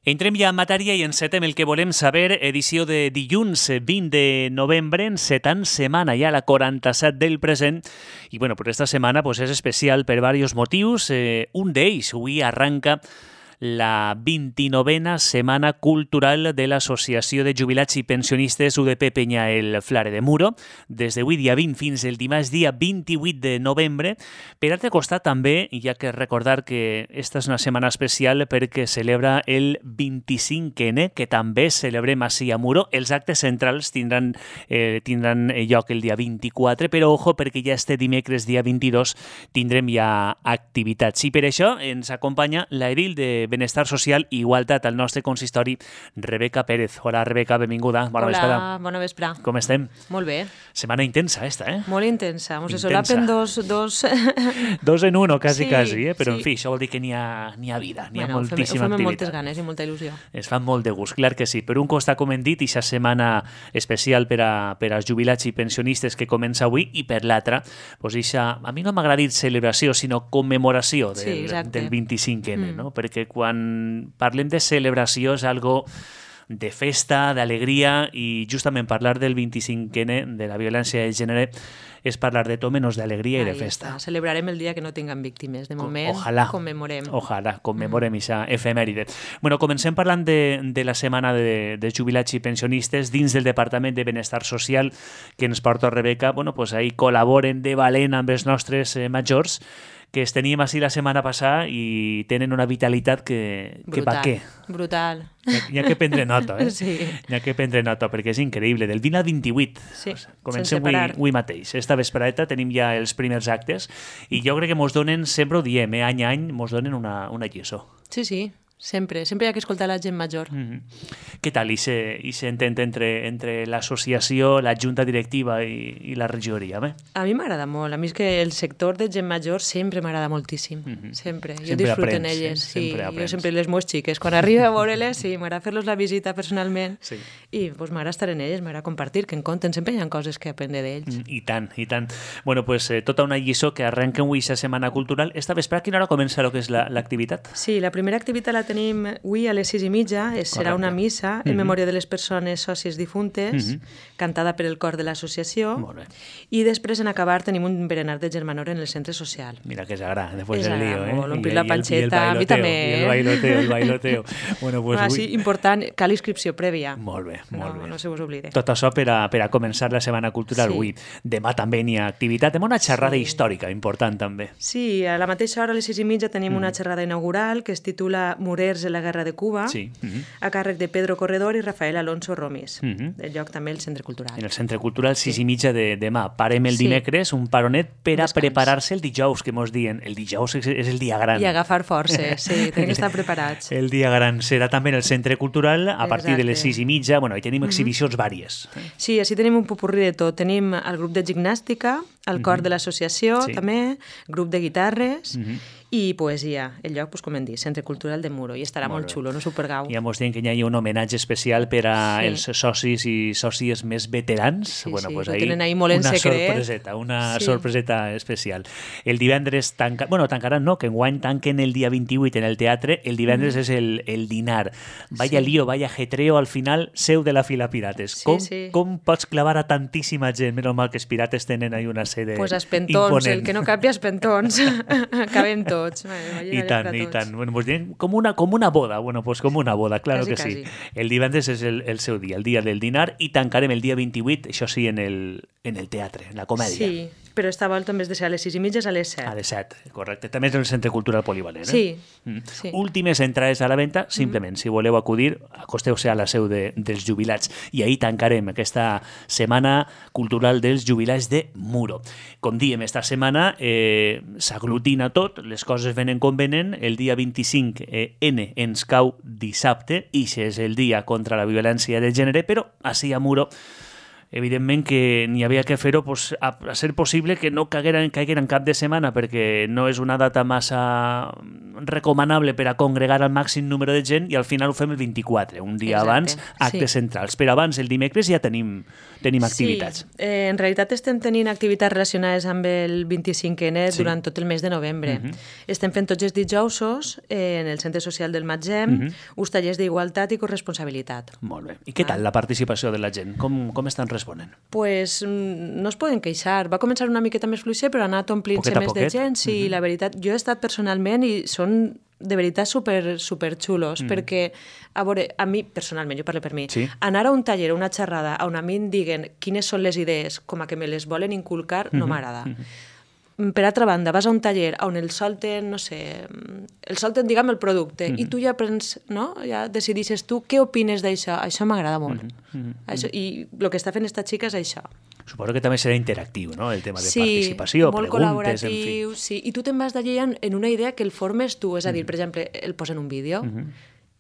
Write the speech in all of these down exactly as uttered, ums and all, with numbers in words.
Entrem ja en matèria i encetem el que volem saber, edició de dilluns vint de novembre, encetant setmana ja la quaranta-set del present. I bueno, per esta setmana pues, és especial per diversos motius. Eh, un d'ells, avui arranca la vint-i-novena Setmana Cultural de l'Associació de Jubilats i Pensionistes U D P Peña-El Flare de Muro, des d'avui dia vint fins el dimarts dia vint-i-vuit de novembre. Per altre costat també, hi ha que recordar que esta és una setmana especial perquè celebra el vint-i-cinc ene, que també celebrem així a Muro. Els actes centrals tindran, eh, tindran lloc el dia vint-i-quatre, però ojo perquè ja este dimecres dia vint-i-dos tindrem ja activitats. I per això ens acompanya l'edil de Benestar Social i Igualtat al nostre consistori, Rebeca Pérez. Hola, Rebeca, benvinguda. Bona Hola, vesprada. bona vesprà. Com estem? Molt bé. Setmana intensa, esta, eh? Molt intensa. Mos Intensa. solapen dos... Dos, dos en uno, quasi, sí, quasi, eh? Però, sí. en fi, això vol dir que n'hi ha, n'hi ha vida, n'hi ha bueno, moltíssima ho fem, ho fem amb activitat. moltes ganes i molta il·lusió. Es fan molt de gust, clar que sí. Per un costat, com hem dit, aquesta setmana especial per, a, per als jubilats i pensionistes que comença avui, i per l'altra, pues, ixa, a mi no m'agrada dir celebració, sinó commemoració del, sí, del vint-i-cinc ene, mm. no? Perquè quan parlem de celebració és algo de festa, d'alegria, i justament parlar del vint-i-cinc ene, de la violència de gènere, és parlar de tot menys d'alegria i de festa. Està. Celebrarem el dia que no tinguem víctimes. De moment, Ojalà, commemorem. Ojalà, commemorem aquesta mm. efemèride. Bueno, comencem parlant de, de la setmana de, de jubilats i pensionistes dins del Departament de Benestar Social que ens porta Rebeca. Bueno, pues ahí col·laboren de valent amb els nostres eh, majors, que es teníem així la setmana passada i tenen una vitalitat que, que brutal, pa què. Brutal. N'hi ha que prendre nota, eh? Sí. N'hi ha que prendre nota, perquè és increïble. Del vint al vint-i-vuit. Sí, pues, comencem avui, avui mateix. Esta vesprada tenim ja els primers actes i jo crec que mos donen, sempre ho diem, eh? any a any mos donen una, una lliçó. Sí, sí. Sempre, sempre hi ha que escoltar la gent major. Mm-hmm. Què tal i se entén entre, entre l'associació, la junta directiva i, i la regidoria? Bé? A mi m'agrada molt. A mi és que el sector de gent major sempre m'agrada moltíssim. Mm-hmm. Sempre. Jo sempre disfruto aprens, en elles. Eh? Sí. Sempre Jo sempre les meves xiques. Quan arribo a veure-les, sí, m'agrada fer-los la visita personalment sí. i pues, m'agrada estar en elles, m'agrada compartir, que en compten. Sempre hi ha coses que aprendre d'ells. Mm, I tant, i tant. Bueno, pues eh, tota una lliçó que arrenca avui aquesta setmana cultural. Esta vespre, a quina hora comença el que és l'activitat? La, sí, la primera activitat la tenim avui a les sis i mitja. Es, serà una missa en mm-hmm. memòria de les persones sòcies difuntes, mm-hmm. cantada per el cor de l'associació. I després, en acabar, tenim un berenar de germanor en el centre social. Mira que és agrà, després del lío, eh? Omplir la panxeta, a mi també. I el bailoteo, el bailoteo. Bueno, pues ah, sí, important, cal inscripció prèvia. Molt bé, molt no, bé. No se vos oblide. Tot això per a, per a començar la setmana cultural sí. avui. Demà també n'hi ha activitat. Tenim una xerrada sí. històrica important, també. Sí, a la mateixa hora, a les sis i mitja, tenim mm. una xerrada inaugural que es titula Murers en la guerra de Cuba. Sí. Mm-hmm. a càrrec de Pedro Corredor i Rafael Alonso Romis. Mm-hmm. El lloc també el Centre Cultural. En el Centre Cultural, sis sí. i mitja de demà. Parem el sí. dimecres, un paronet per a Descans. Preparar-se el dijous, que mos diuen. El dijous és, és el dia gran. I agafar forces, sí, tenim que estar preparats. El dia gran serà també en el Centre Cultural a partir Exacte. de les sis i mitja. Bueno, hi tenim mm-hmm. exhibicions vàries. Sí, així tenim un popurrí de tot. Tenim el grup de gimnàstica, el cor mm-hmm. de l'associació, sí. també, grup de guitarres, mm-hmm. i poesia. El lloc, pues, com hem dit, Centre Cultural de Muro. I estarà molt, molt xulo, no supergau. Ja mos diuen que hi ha un homenatge especial per a sí. els socis i sòcies més veterans. Sí, bueno, sí, pues ho ahí tenen ahí molt en una secret. Sorpreseta, una sí. sorpreseta especial. El divendres tanca... Bueno, tancaran no, que enguany tanquen el dia vint-i-vuit en el teatre. El divendres mm. és el, el dinar. Vaya sí. lío, vaya jetreo, al final, seu de la fila Pirates. Sí, com, sí. com pots clavar a tantíssima gent? Menys mal que els Pirates tenen ahí una sede pues espentons, imponent. El que no capi espentons. Cabem tots. I tant, i tant. Bueno, pues, com, una, com una boda. Bueno, pues com una boda, claro casi, que casi. sí. El divendres és el, el seu dia, el dia del dinar, i tancarem el dia vint-i-vuit, això sí, en el, en el teatre, en la comèdia. Sí, però esta volta en vez de ser a les sis i mitja és a les set. A les set, correcte. També és el Centre Cultural Polivalent. Eh? Sí, mm. sí. Últimes entrades a la venda, simplement, mm. si voleu acudir, acosteu-se a la seu de, dels jubilats. I ahir tancarem aquesta setmana cultural dels jubilats de Muro. Com diem, esta setmana eh, s'aglutina tot, les coses venen com venen, el dia vint-i-cinc ene eh, ens cau dissabte, i és el dia contra la violència de gènere, però així a Muro evidentment que n'hi havia que fer-ho pues, a, a ser possible que no caigueren, caigueren cap de setmana perquè no és una data massa recomanable per a congregar el màxim número de gent i al final ho fem el vint-i-quatre, un dia Exacte, abans, actes sí. centrals. Però abans, el dimecres, ja tenim, tenim activitats. Sí, eh, en realitat estem tenint activitats relacionades amb el vint-i-cinquè sí. durant tot el mes de novembre. Uh -huh. Estem fent tots els dijousos eh, en el Centre Social del Matzem, uh -huh. uns tallers d'igualtat i corresponsabilitat. Molt bé. I què tal la participació de la gent? Com, com estan responent? Pues no es poden queixar. Va començar una miqueta més fluixer, però ha anat omplint-se més de gent. Sí, uh -huh. la veritat, jo he estat personalment i són de veritat super, super xulos, mm. perquè, a veure, a mi, personalment, jo parlo per mi, sí. anar a un taller, una xerrada, on a mi em diguen quines són les idees com a que me les volen inculcar, mm -hmm. no m'agrada. Mm -hmm. Per altra banda, vas a un taller on el solten, no sé, el solten, diguem, el producte, mm -hmm. i tu ja prens, no?, ja decidixes tu què opines d'això. Això m'agrada molt. Mm -hmm. això, I el que està fent esta xica és això. Suposo que també serà interactiu, no?, el tema de sí, participació, molt preguntes, en col·laboratiu, fi. Sí, i tu te'n vas d'allí en, en una idea que el formes tu, és a dir, mm -hmm. per exemple, el posen un vídeo, mm -hmm.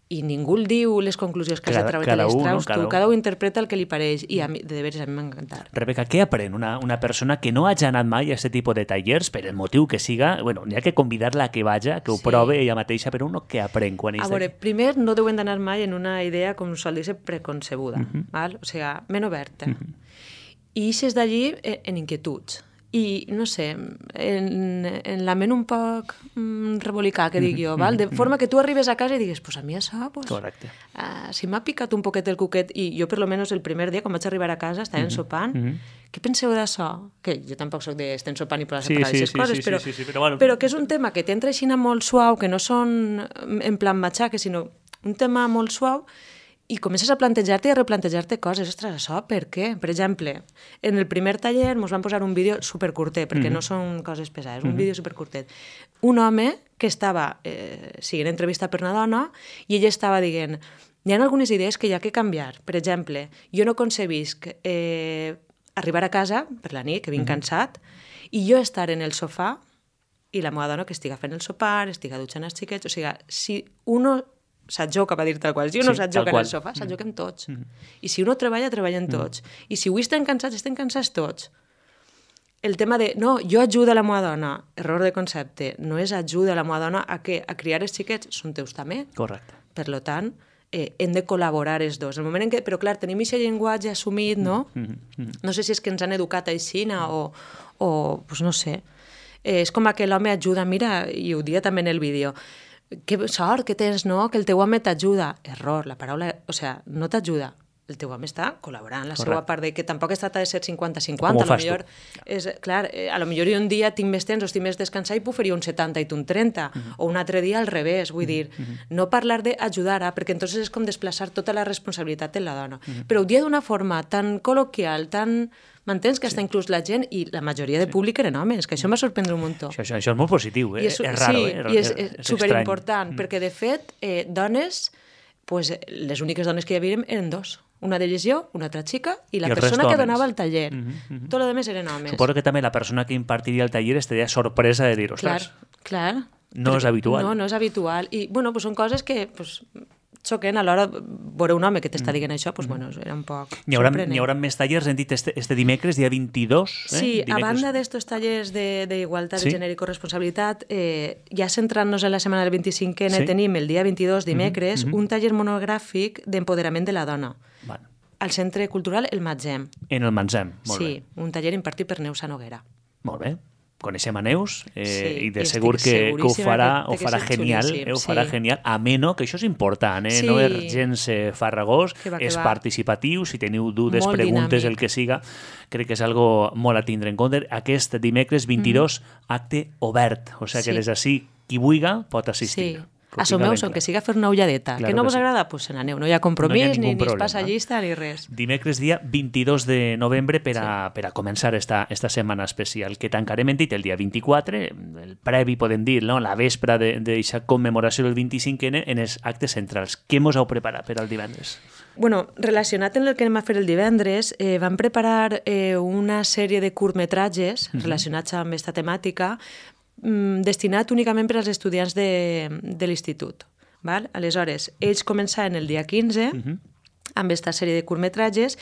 i ningú el diu les conclusions que cada, has de treure, te les traus no? tu, cada un interpreta el que li pareix, i a mi, de veres, a mi m'ha encantat. Rebeca, què aprèn una, una persona que no hagi anat mai a aquest tipus de tallers, per el motiu que siga, bueno, n'hi ha que convidar-la a que vaja, que ho sí. prove ella mateixa, però uno què aprèn quan és A veure, primer, no deuen d'anar mai en una idea, com sol dir-se, preconcebuda, mm -hmm. val? O sigui, ment oberta. Mm -hmm. I eixes d'allí en inquietuds. I, no sé, en, en la ment un poc mm, rebolicà, que dic jo, val? De forma que tu arribes a casa i digues, pues a mi això, pues, Correcte. Uh, si m'ha picat un poquet el cuquet, i jo per lo menos el primer dia, quan vaig arribar a casa, estàvem sopant, mm -hmm. què penseu d'això? Que jo tampoc soc de estem sopant i posar-se sí, a parlar d'aquestes sí, coses, sí, però, sí, sí, sí, però, bueno. però que és un tema que t'entra així molt suau, que no són en plan matxaque, sinó un tema molt suau, i comences a plantejar-te i a replantejar-te coses. Ostres, això per què? Per exemple, en el primer taller ens van posar un vídeo supercurtet, perquè mm -hmm. no són coses pesades, un mm -hmm. vídeo supercurtet. Un home que estava eh, siguent entrevista per una dona i ella estava dient, hi ha algunes idees que hi ha que canviar. Per exemple, jo no concebisc eh, arribar a casa per la nit, que vinc mm -hmm. cansat, i jo estar en el sofà i la meva dona que estiga fent el sopar, estiga dutxant els xiquets, o sigui, si uno s'atjoca, va dir tal qual. Si uno sí, s'atjoca en el sofà, s'atjoquem tots. Mm. I si uno treballa, treballen tots. Mm. I si avui estem cansats, estem cansats tots. El tema de, no, jo ajudo a la meva dona, error de concepte, no és ajuda a la meva dona a què? A criar els xiquets, són teus també. Correcte. Per tant, eh, hem de col·laborar els dos. El moment en què, però clar, tenim aquest llenguatge assumit, no? Mm -hmm. No sé si és que ens han educat així o, o pues no sé. Eh, és com que l'home ajuda, mira, i ho dia també en el vídeo, que sort que tens, no?, que el teu home t'ajuda. Error, la paraula, o sigui, no t'ajuda. El teu home està col·laborant, la seva part de que tampoc es tracta de ser cinquanta cinquanta. Com ho fas tu? És, clar, eh, a lo millor un dia tinc més temps o estic més descansat i puc fer un setanta i tu un trenta, uh -huh. o un altre dia al revés, vull uh -huh. dir, uh -huh. no parlar d'ajudar, eh, perquè entonces és com desplaçar tota la responsabilitat en la dona. Uh -huh. Però ho dia d'una forma tan col·loquial, tan... M'entens? Que sí. Està inclús la gent i la majoria de públic eren homes, que això m'ha sorprendre un muntó. Això, això, això és molt positiu, eh? És, és raro, sí, eh? I és, és, és superimportant, mm. perquè de fet, eh, dones, pues, les úniques dones que hi havia eren dos. Una d'elles jo, una altra xica, i la I persona que donava el taller. Mm -hmm, mm -hmm. Tot el demés eren homes. Suposo que també la persona que impartiria el taller estaria sorpresa de dir, ostres, clar, clar. no Però, és habitual. No, no és habitual. I, bueno, pues són coses que... Pues, xoquen a l'hora de veure un home que t'està dient això, doncs, bueno, era un poc N'hi haurà, sorprenent. N'hi haurà més tallers, hem dit este, este dimecres, dia vint-i-dos. Eh? Sí, dimecres. A banda d'estos tallers d'igualtat de, de sí? gènere i corresponsabilitat, eh, ja centrant-nos en la setmana del vint-i-cinquè, sí? tenim el dia vint-i-dos, dimecres, mm -hmm. un taller monogràfic d'empoderament de la dona. Bueno. Al Centre Cultural El Matzem. En el Matzem, molt sí, bé. Sí, un taller impartit per Neus Noguera. Molt bé. Coneixem a Neus eh, sí, i de segur que, que ho farà, ho farà genial, eh, ho farà sí. genial, ameno, que això és important, eh? Sí. No és gens eh, farragós, que va, que és va. participatiu, si teniu dudes, molt preguntes, dinàmic. el que siga, crec que és algo molt a tindre en compte. Aquest dimecres vint-i-dos, mm. acte obert, o sigui que sí. des d'ací qui vulga pot assistir. Sí. Assumeu-s'ho, que siga fer una ulladeta. Claro que no que vos sí. agrada? Pues se n'aneu. No hi ha compromís, no hi ha ni, ni problema. es passa llista, ni res. Dimecres dia vint-i-dos de novembre per a, sí. per a començar esta, esta setmana especial, que tancarem, hem dit, el dia vint-i-quatre, el previ, podem dir, no? La vespra d'aquesta commemoració del vint-i-cinquè en els actes centrals. Què mos heu preparat per al divendres? Bueno, relacionat amb el que anem a fer el divendres, eh, vam preparar eh, una sèrie de curtmetratges mm -hmm. relacionats amb aquesta temàtica, destinat únicament per als estudiants de, de l'institut. Val? Aleshores, ells començaven el dia quinze, uh -huh. amb aquesta sèrie de curtmetratges,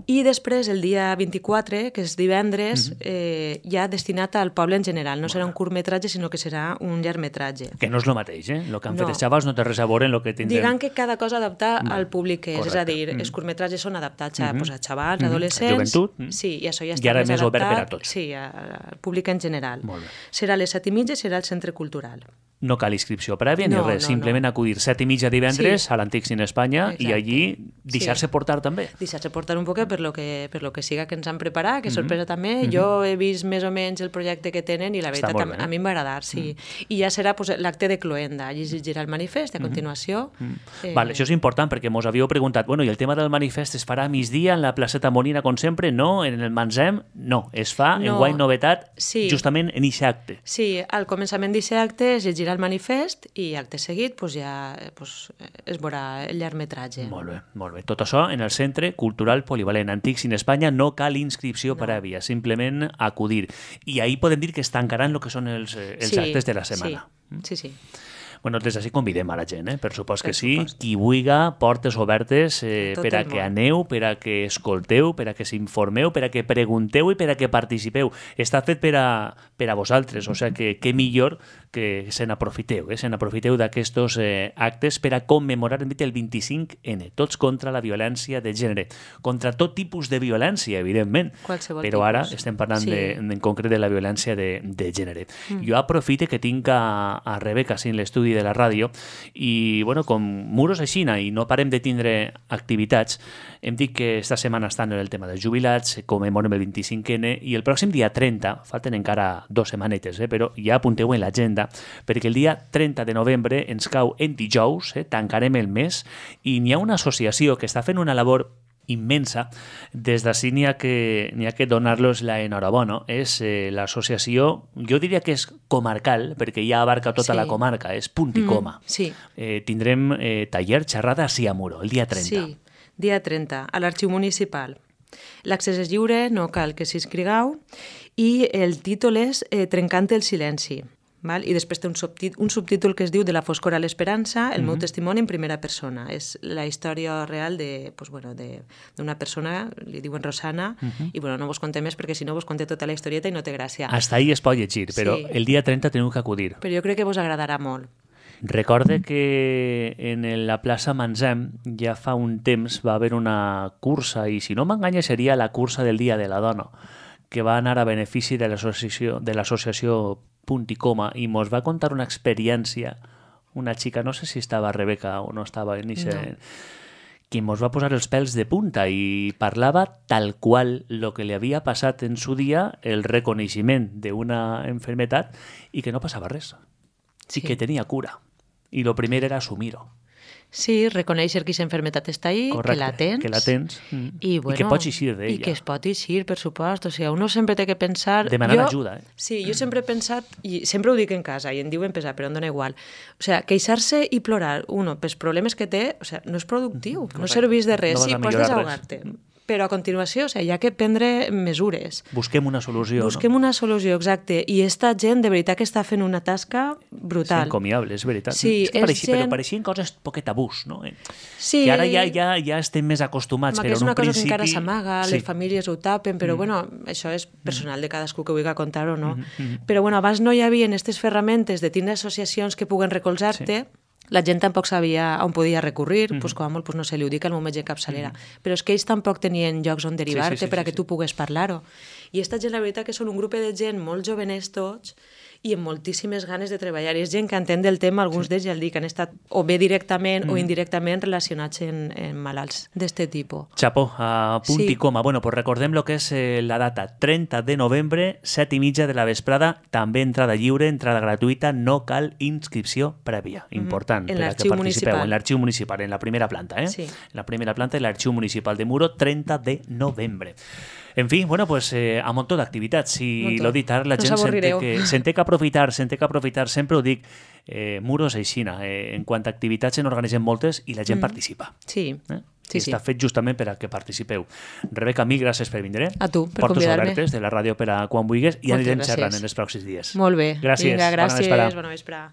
i després el dia vint-i-quatre, que és divendres, mm-hmm. eh, ja destinat al poble en general. No bueno. serà un curtmetratge, sinó que serà un llargmetratge. Que no és el mateix, eh? El que han no. fet els xavals no té res a veure en el que tindrem. Diguem que cada cosa adaptar mm. al públic que és, Correcte. és a dir, mm. els curtmetratges són adaptats a, mm-hmm. pues, a xavals, mm-hmm. adolescents... A joventut. Mm. Sí, i això ja està I ara més més adaptat, obert per a tots. Sí, al públic en general. Molt bé. Serà a les set i mitja i serà al Centre Cultural. No cal inscripció prèvia ni no, res, no, simplement no. acudir set i mitja divendres sí. a l'Antic Cine Espanya Exacte. i allí deixar-se sí. portar també. Deixar-se portar un poquet per lo que, per lo que siga que ens han preparat, que mm-hmm. sorpresa també. Mm-hmm. Jo he vist més o menys el projecte que tenen i la veritat a, a mi em va agradar, sí. Mm. I ja serà pues, l'acte de cloenda, allí es llegirà el manifest i a continuació... Mm-hmm. Eh... Vale, això és important perquè mos havíeu preguntat, bueno, i el tema del manifest es farà a migdia en la placeta Molina com sempre? No, en el Manzem? No, es fa no. en guany novetat sí. justament en aquest acte. Sí, al començament d'aquest acte es llegirà el manifest i acte seguit pues, ja pues, es veurà el llargmetratge. Molt bé, molt bé. Tot això en el Centre Cultural Polivalent Antic Cine Espanya, no cal inscripció no. prèvia, simplement acudir. I ahí podem dir que es tancaran el que són els, els sí, actes de la setmana. Sí, sí, sí. Bueno, des d'ací convidem a la gent, eh? per supost que per sí. Supost. Qui vulga, portes obertes eh, per a que món. aneu, per a que escolteu, per a que s'informeu, per a que pregunteu i per a que participeu. Està fet per a, per a vosaltres, o sigui que què millor que se n'aprofiteu, eh? se n'aprofiteu d'aquests eh, actes per a commemorar el vint-i-cinc ene, tots contra la violència de gènere, contra tot tipus de violència, evidentment, Qualsevol però tipus. ara estem parlant sí. de, en concret de la violència de, de gènere. Mm. Jo aprofite que tinc a, a Rebeca sí, en l'estudi de la ràdio i, bueno, com muros a Xina i no parem de tindre activitats, hem dit que esta setmana estan en el tema dels jubilats, commemorem el vint-i-cinc ene i el pròxim dia trenta, falten encara dos setmanetes, eh, però ja apunteu en l'agenda, perquè el dia trenta de novembre ens cau en dijous, eh, tancarem el mes i n'hi ha una associació que està fent una labor immensa. Des d'ací n'hi ha que, n'hi ha que donar-los la enhorabona. És eh, l'associació, jo diria que és comarcal, perquè ja abarca tota sí. la comarca, és punt i coma. Mm, sí. eh, tindrem eh, taller xerrada a Siamuro, el dia trenta. Sí, dia trenta, a l'Arxiu Municipal. L'accés és lliure, no cal que s'inscrigueu, i el títol és eh, Trencant el silenci. Val? I després té un, subtit un subtítol que es diu De la foscor a l'esperança, el mm-hmm. meu testimoni en primera persona. És la història real de, pues, bueno, d'una persona, li diuen Rosana, mm-hmm. i bueno, no vos conté més perquè si no vos conté tota la historieta i no té gràcia. Hasta ahí es pot llegir, però sí. el dia trenta teniu que acudir. Però jo crec que vos agradarà molt. Recorde que en la plaça Manzem ja fa un temps va haver una cursa, i si no m'enganya seria la cursa del Dia de la Dona, que va anar a benefici de l'associació de l'associació Punt i Coma, i mos va contar una experiència, una xica, no sé si estava Rebeca o no estava en ese, no. que mos va posar els pèls de punta i parlava tal qual lo que li havia passat en su dia, el reconeixement d'una enfermetat i que no passava res, sí. i que tenia cura. I lo primer era assumir-ho. Sí, reconèixer que aquesta enfermetat està ahí, Correcte, que la tens. que la tens mm. I, bueno, I que pots eixir d'ella. I que es pot eixir, per supost. O sigui, uno sempre té que pensar... Demanar jo, ajuda, eh? Sí, jo sempre he pensat, i sempre ho dic en casa, i en diuen pesar, però em dona igual. O sigui, queixar-se i plorar, uno, pels problemes que té, o sigui, no és productiu, Correcte. no serveix de res. No sí, pots desahogar-te. Però a continuació, o sigui, hi ha que prendre mesures. Busquem una solució, Busquem no? una solució, exacte. I esta gent, de veritat, que està fent una tasca brutal. Sí, encomiable, és veritat. Sí, és que pareixia, gent... però pareixien coses poquet tabús, no? Sí. Que ara ja, ja, ja estem més acostumats, Home, però és en una un cosa principi... que encara s'amaga, sí. les famílies ho tapen, però mm. bueno, això és personal de cadascú que vulgui contar o no. Mm -hmm. Però bueno, abans no hi havia aquestes ferramentes de tindre associacions que puguen recolzar-te, sí. La gent tampoc sabia on podia recurrir, mm-hmm. pues, com a molt pues, no sé, li ho dic al meu metge capçalera, mm-hmm. però és que ells tampoc tenien llocs on derivar-te sí, sí, sí, per a que sí, tu pugues parlar-ho. I esta gent, la veritat, que són un grup de gent molt jovenets tots i amb moltíssimes ganes de treballar. I és gent que entén del tema, alguns sí. d'ells ja el dic, han estat o bé directament mm. o indirectament relacionats en, en malalts d'este tipus. Chapó, a punt sí. i coma. Bueno, pues recordem lo que és eh, la data, trenta de novembre, set i mitja de la vesprada, també entrada lliure, entrada gratuïta, no cal inscripció prèvia. Important. En per a que l'arxiu participeu. municipal. En l'arxiu municipal, en la primera planta, eh? Sí. En la primera planta de l'arxiu municipal de Muro, trenta de novembre. En fi, bueno, pues eh, a muntó d'activitats. Si lo dit ara, la no gent se'n té, que, se'n té que aprofitar, se'n té que aprofitar, sempre ho dic, eh, Muros aixina. Eh, en quant a activitats se n'organitzen moltes i la gent mm. participa. Sí, eh? sí, I sí. està fet justament per a que participeu. Rebeca, mil gràcies per vindre. A tu, per Portes convidar-me. obertes de la ràdio per a quan vulguis i Moltes anirem gràcies. xerrant en els pròxims dies. Molt bé. Gràcies. Vinga, gràcies. Bona vesprada. Bona vesprada.